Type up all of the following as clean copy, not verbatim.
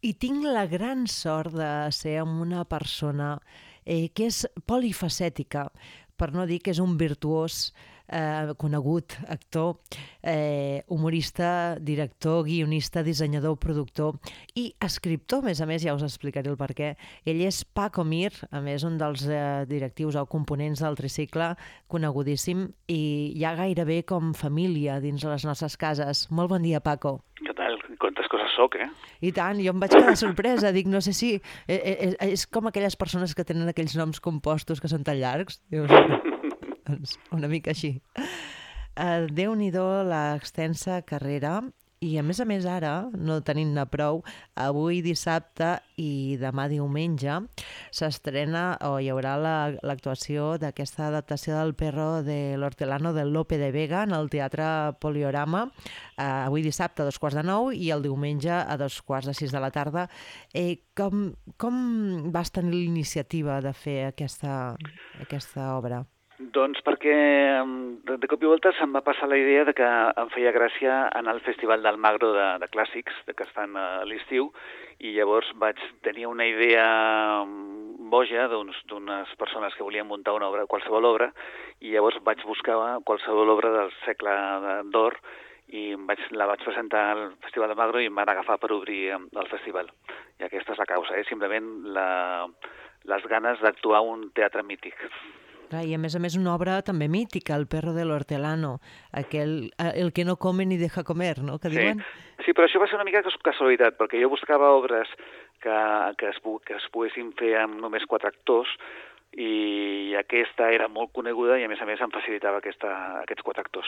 I tinc la gran sort de ser amb una persona que és polifacètica, per no dir que és un virtuós, conegut, actor, humorista, director, guionista, dissenyador, productor i escriptor, a més, ja us explicaré el per què. Ell és Paco Mir, a més, un dels directius o components del Tricicle, conegudíssim, i ja gairebé com família dins les nostres cases. Molt bon dia, Paco. Què tal? Quantes coses soc, eh? I tant, jo em vaig quedar sorpresa, dic, no sé si... és com aquelles persones que tenen aquells noms compostos que són tan llargs. Dius, doncs una mica així. Déu-n'hi-do l'extensa carrera i a més ara, no tenint-ne prou, avui dissabte i demà diumenge s'estrena o hi haurà l'actuació d'aquesta adaptació del Perro de l'Hortelano del Lope de Vega en el Teatre Poliorama, avui dissabte a 2:15 i el diumenge a 2:45 de la tarda. Com vas tenir l'iniciativa de fer aquesta obra? Doncs perquè de cop i volta se'm va passar la idea de que em feia gràcia anar al Festival del Magro de Clàssics, que es fan a l'estiu, i llavors vaig tenir una idea boja d'unes persones que volien muntar una obra, qualsevol obra, i llavors vaig buscar qualsevol obra del segle d'or i la vaig presentar al Festival del Magro i em van agafar per obrir el festival. I aquesta és la causa, simplement les ganes d'actuar un teatre mític. Clar, i a més una obra també mítica, El Perro de l'Hortelano, el que no come ni deja comer, no?, que diuen? Sí, però això va ser una mica casualitat, perquè jo buscava obres que es poguessin fer amb només 4 actors, i aquesta era molt coneguda i a més em facilitava aquests 4 actors.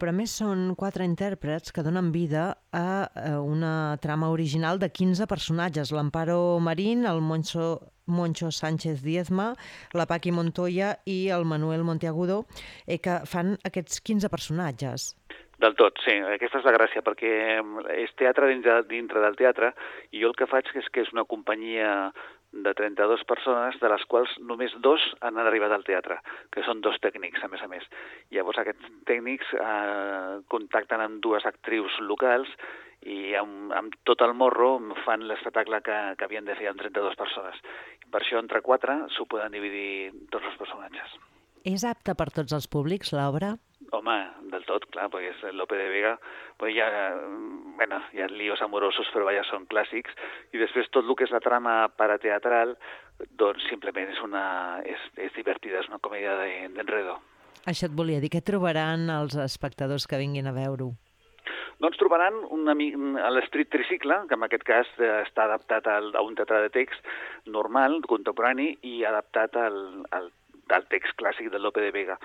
Però a més són 4 intèrprets que donen vida a una trama original de 15 personatges. L'Amparo Marín, el Moncho Sánchez Diezma, la Paqui Montoya i el Manuel Monteagudo, que fan aquests 15 personatges. Del tot, sí. Aquesta és la gràcia, perquè és teatre dintre del teatre, i jo el que faig és que és una companyia de 32 persones, de les quals només 2 han arribat al teatre, que són 2 tècnics, a més. Llavors aquests tècnics contacten amb 2 actrius locals i amb tot el morro fan l'espectacle que havien de fer amb 32 persones. Per això, entre 4 s'ho poden dividir tots els personatges. És apta per tots els públics, l'obra? Home, del tot, clar, perquè és Lope de Vega, hi ha líos amorosos, però ja són clàssics, i després tot el que és la trama parateatral, doncs simplement és divertida, és una comèdia d'enredo. Això et volia dir, què trobaran els espectadors que vinguin a veure-ho? Doncs trobaran l'Esprit Tricicle, que en aquest cas està adaptat a un teatre de text normal, contemporani, i adaptat al text clàssic de Lope de Vega.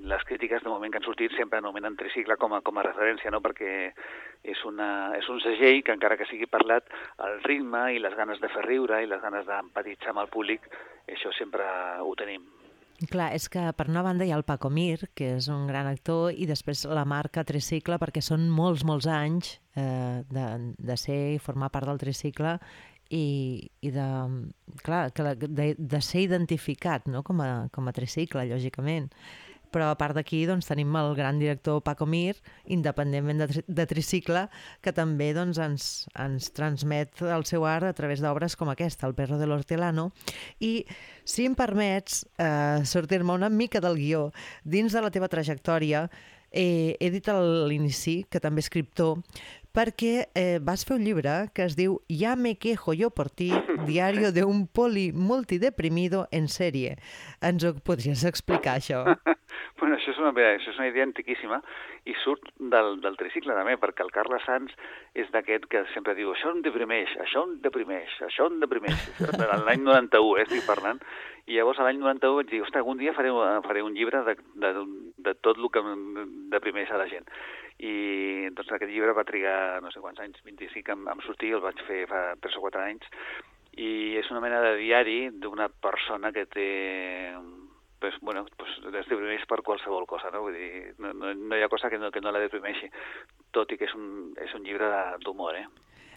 Les crítiques de moment que han sortit sempre anomenen Tricicle com a referència, no? Perquè és un segell que, encara que sigui parlat, el ritme i les ganes de fer riure i les ganes d'empatitzar amb el públic, això sempre ho tenim. Clar, és que per una banda hi ha el Paco Mir, que és un gran actor, i després la marca Tricicle, perquè són molts anys de ser i formar part del Tricicle i de ser identificat, no?, com a Tricicle, lògicament. Però a part d'aquí doncs, tenim el gran director Paco Mir, independentment de Tricicle, que també doncs, ens transmet el seu art a través d'obres com aquesta, El Perro de l'Hortelano. I, si em permets sortir-me una mica del guió, dins de la teva trajectòria, he dit a l'inici que també és escriptor, perquè vas fer un llibre que es diu Ja me quejo yo por ti, diario de un poli multideprimido en sèrie. Ens ho podries explicar, això? Bueno, això és una idea antiquíssima i surt del Tricicle també, perquè el Carles Sans és d'aquest que sempre diu això em deprimeix, això em deprimeix, això em deprimeix. L'any 91, estic parlant. I llavors l'any 91 vaig dir, ostres, algun dia faré un llibre de tot el que em deprimeix a la gent. I doncs aquest llibre va trigar no sé quants anys, 25 em sortir, el vaig fer fa 3 o 4 anys, i és una mena de diari d'una persona que té... es deprimeix per qualsevol cosa, no? Vull dir, no hi ha cosa que no la deprimeixi, tot i que és un llibre d'humor,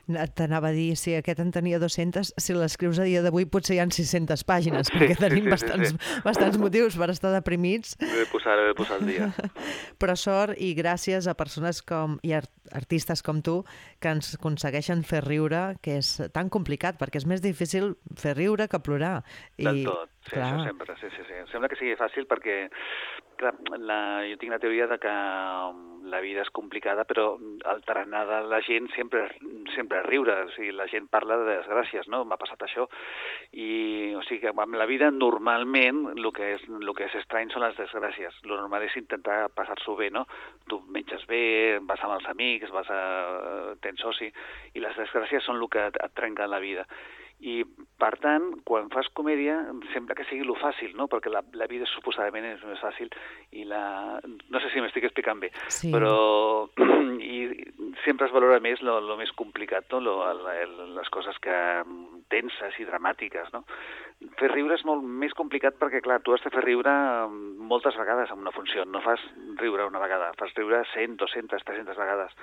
T'anava a dir, si aquest en tenia 200, si l'escrius a dia d'avui potser hi ha 600 pàgines, perquè tenim bastants motius per estar deprimits. He de posar el dia. Però sort i gràcies a persones i artistes com tu que ens aconsegueixen fer riure, que és tan complicat, perquè és més difícil fer riure que plorar. Del tot, sí, això sempre, sí. Sembla que sigui fàcil perquè, clar, jo tinc la teoria de que la vida és complicada, però el tarannà de la gent sempre és riure, o sigui, la gent parla de desgràcies, no? M'ha passat això, i o sigui que amb la vida normalment el que és estrany són les desgràcies. El normal és intentar passar-s'ho bé, no? Tu menges bé, vas amb els amics, tens soci, i les desgràcies són el que et trenca la vida. I, per tant, quan fas comèdia, sembla que sigui lo fàcil, no? Perquè la vida suposadament és més fàcil i no sé si m'estic explicant bé, sí. Però sempre es valora més lo més complicat, no? Les coses que tenses i dramàtiques, no? Fer riure és molt més complicat perquè, clar, tu has de fer riure moltes vegades en una funció, no fas riure una vegada, fas riure 100, 200, 300 vegades.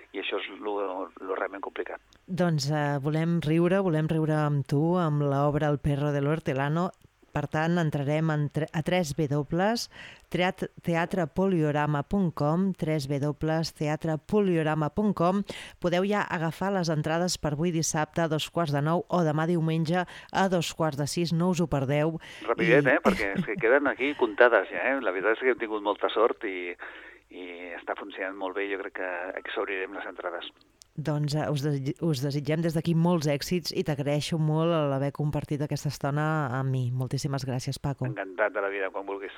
I això és lo realment complicat. Doncs volem riure amb tu, amb l'obra El perro del hortelano. Per tant, entrarem a www.teatrepoliorama.com, www.teatrepoliorama.com. Podeu ja agafar les entrades per avui dissabte a 9:15 o demà diumenge a 5:45. No us ho perdeu. Rapidet, perquè es queden aquí comptades ja, La veritat és que hem tingut molta sort i està funcionant molt bé. Jo crec que exhaurirem les entrades. Doncs us desitgem des d'aquí molts èxits i t'agraeixo molt l'haver compartit aquesta estona amb mi. Moltíssimes gràcies, Paco. Encantat de la vida, quan vulguis.